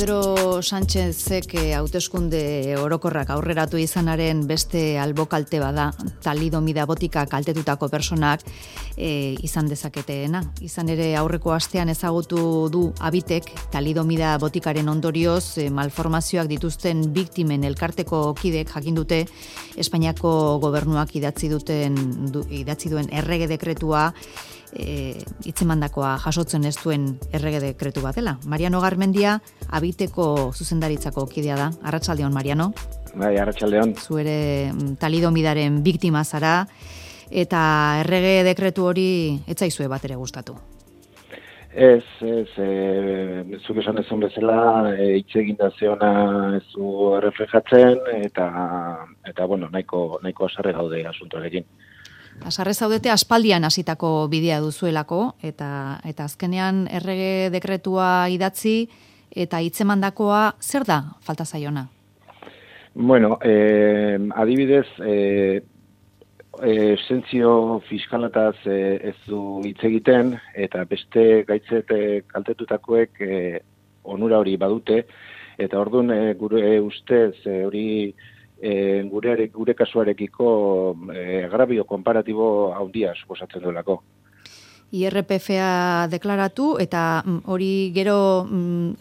Pedro Sánchezek hauteskunde orokorrak aurreratu izanaren beste albokalte bada, talidomida botika kaltetutako personak izan dezaketeena. Izan ere aurreko astean ezagutu du Habitek talidomida botikaren ondorioz malformazioak dituzten biktimen elkarteko kidek jakin dute Espainiako gobernuak idatzi duen errege dekretua hitzemandakoa jasotzen ez duen errege dekretu bat dela. Mariano Garmendia Habiteko zuzendaritzako kidea da. Arratsaldeon, Mariano. Bai, arratsaldeon. Zu ere talidomidaren biktima zara eta errege dekretu hori ez zaizue bat ere gustatu. Ez, zuk esan ezun bezala, hitz egin da zeona ez du reflejatzen eta bueno, nahiko asarre gaude asuntoarekin. Asarre zaudete aspaldian hasitako bidea duzuelako eta azkenean errege dekretua idatzi eta hitzemandakoa zer da falta zaiona? Bueno, adibidez, esentzio fiskalataz ez du hitz egiten eta beste gaitzet kaltetutakoek onura hori badute eta orduan gure ustez hori gure kasuarekiko agravio konparatibo handia suposatzen duelako. IRPF-a deklaratu eta hori gero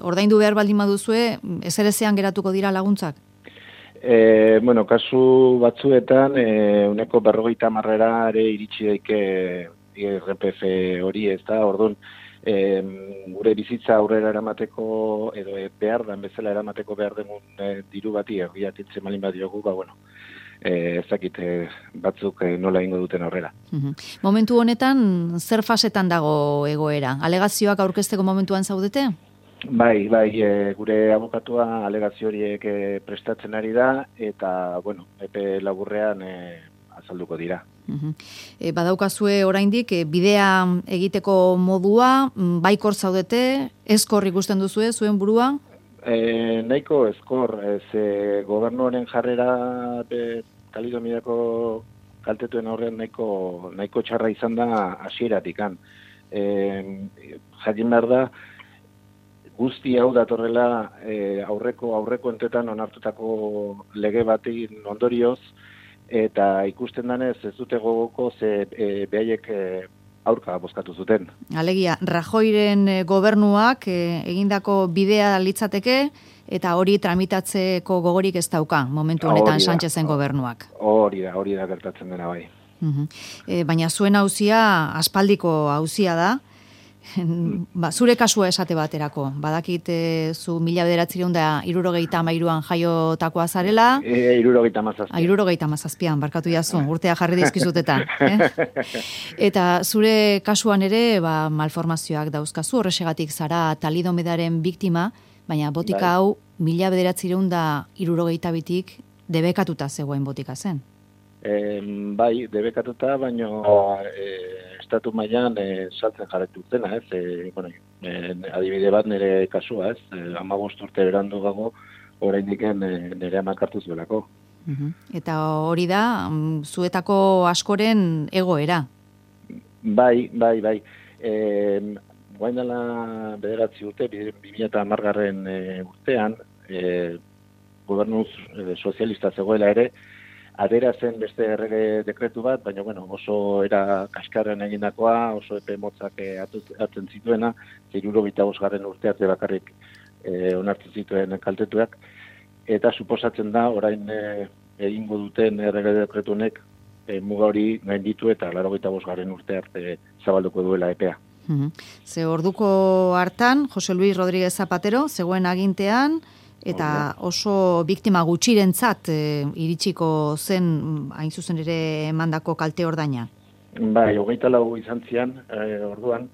ordaindu behar baldin baduzue ezerezean geratuko dira laguntzak? Bueno, kasu batzuetan uneko 50 ere iritsi daike IRPF hori, ez da, orduan gure bizitza aurrera eramateko edo behar dan bezala eramateko behar demun diru bati ergiatitzen malin badiogu, bueno, ezakit batzuk nola ingo duten aurrera. Momentu honetan, zer fasetan dago egoera? Alegazioak aurkezteko momentuan zaudete? Bai, gure abokatua alegazio horiek prestatzen ari da eta, bueno, epe laburrean azalduko dira. Badaukazue oraindik bidea egiteko modua, baikor zaudete, ezkor ikusten duzue zuen burua? Nahiko ezkor, gobernuaren jarrera talidomidako kaltetuen aurrean nahiko txarra izan da hasieratikan. Jakin behar da, guzti hau datorrela aurreko entetan onartutako lege batekin ondorioz, eta ikusten danez ez dute gogoko behaiek aurka bozkatu zuten. Alegia, Rajoyren gobernuak egindako bidea litzateke eta hori tramitatzeko gogorik ez dauka momentu honetan Sánchezen gobernuak. Hori da gertatzen dena bai. Baina zuen auzia aspaldiko auzia da. Zure kasua esate baterako, badakit zu 1973an jaiotakoa zarela. 77an, barkatu jazu, urtea jarri dizkizuteta. Eta zure kasuan ere malformazioak dauzkazu, horrexegatik zara talidomidaren biktima, baina botika hau 1972tik debekatuta zegoen botika zen. Bai, debekatuta, baino estatu mailan saltzen jarretu zena, ez? Adibide bat nire kasua, ez? 15 urte berandu gago, oraindik nire amak hartu zuelako. Eta hori da, zuetako askoren egoera? Bai. Guain dela 9 urte, 2010 urtean, gobernu sozialista zegoela ere, adera zen beste errege dekretu bat, baina oso era kaskarren egindakoa, oso epe motzak hartzen zituena, 75. urte arte bakarrik onartzen zituen kaltetuak, eta suposatzen da, orain egingo duten errege dekretu honek muga hori gainditu eta 85. urte arte zabalduko duela epea. Ze orduko hartan, Jose Luis Rodríguez Zapatero, zegoen agintean, eta oso biktima gutxirentzat iritsiko zen hain zuzen ere emandako kalte ordaina. Bai, 24 izan zian, orduan,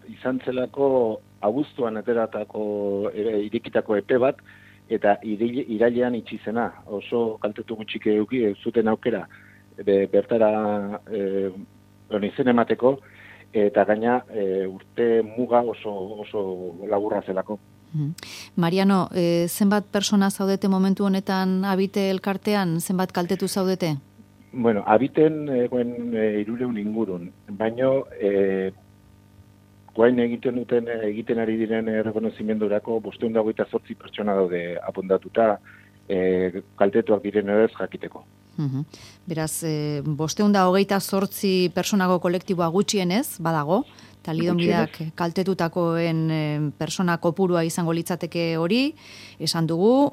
izan zelako abuztuan ateratako irekitako epe bat, eta irailean itxi zena, oso kaltetu gutxik eduki zuten aukera bertara izen emateko, eta gaina urte muga oso laburra zelako. Mariano, zenbat persona zaudete momentu honetan Habite elkartean, zenbat kaltetu zaudete? Bueno, Habiten 300 ingurun, baino guain egiten ari diren errekonozimendurako 528 pertsona daude apuntatuta, kaltetuak diren ere jakiteko. Beraz, 528 personago kolektiboa gutxienez, badago, talidomidak kaltetutakoen persona kopurua izango litzateke hori, esan dugu,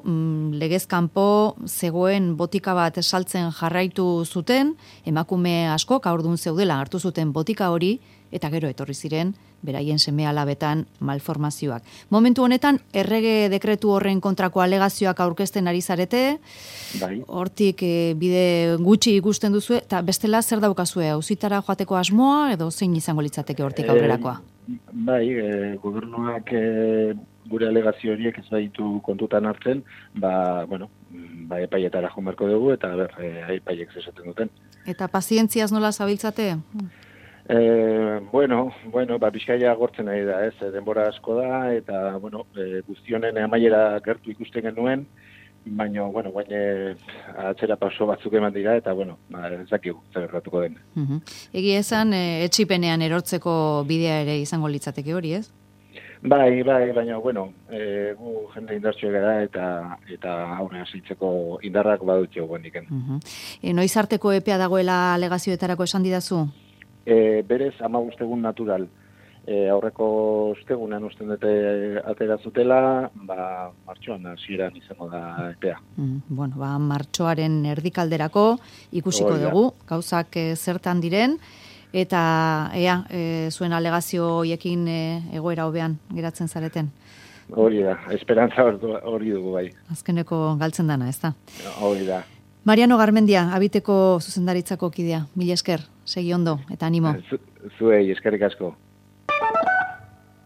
legez kanpo zegoen botika bat saltzen jarraitu zuten, emakume askok haurdun zeudela hartu zuten botika hori, eta gero etorri ziren, beraien seme-alabetan malformazioak. Momentu honetan, errege dekretu horren kontrako alegazioak aurkezten ari zarete, hortik bide gutxi ikusten duzu, eta bestela zer daukazue, auzitara joateko asmoa, edo zein izango litzateke hortik aurrerakoa? Gobernuak gure alegazio horiek ez baitu kontutan hartzen, epaietara joan beharko dugu, eta epaiek zesaten duten. Eta pazientziaz nola zabiltzate? Bizkaia gortzen ari da, denbora asko da, eta, guztionen amaiera gertu ikusten genuen, baina, guain atzera paso batzuk eman dira, eta, ez dakigu, zer erratuko den. Egia esan, etxipenean erortzeko bidea ere izango litzateke hori, ez? Bai, baina, gu jende indartxo gara, eta aurrera ziltzeko indarrak badutxo guendiken. Noiz arteko epea dagoela alegazioetarako esan didazu? Berez, 15 egun natural. Aurreko ostegunean usten dute atera zutela, martxoan hasieran izango da epea. Martxoaren erdikalderako ikusiko dugu, gauzak zertan diren, eta zuen alegazio hoiekin egoera hobean geratzen zareten. Hori da, esperantza hori dugu bai. Azkeneko galtzen dana, ez da? Hori da. Mariano Garmendia, Abiteko zuzendaritzako kidea. Mila esker, segi ondo eta animo. Zuei, eskerrik asko.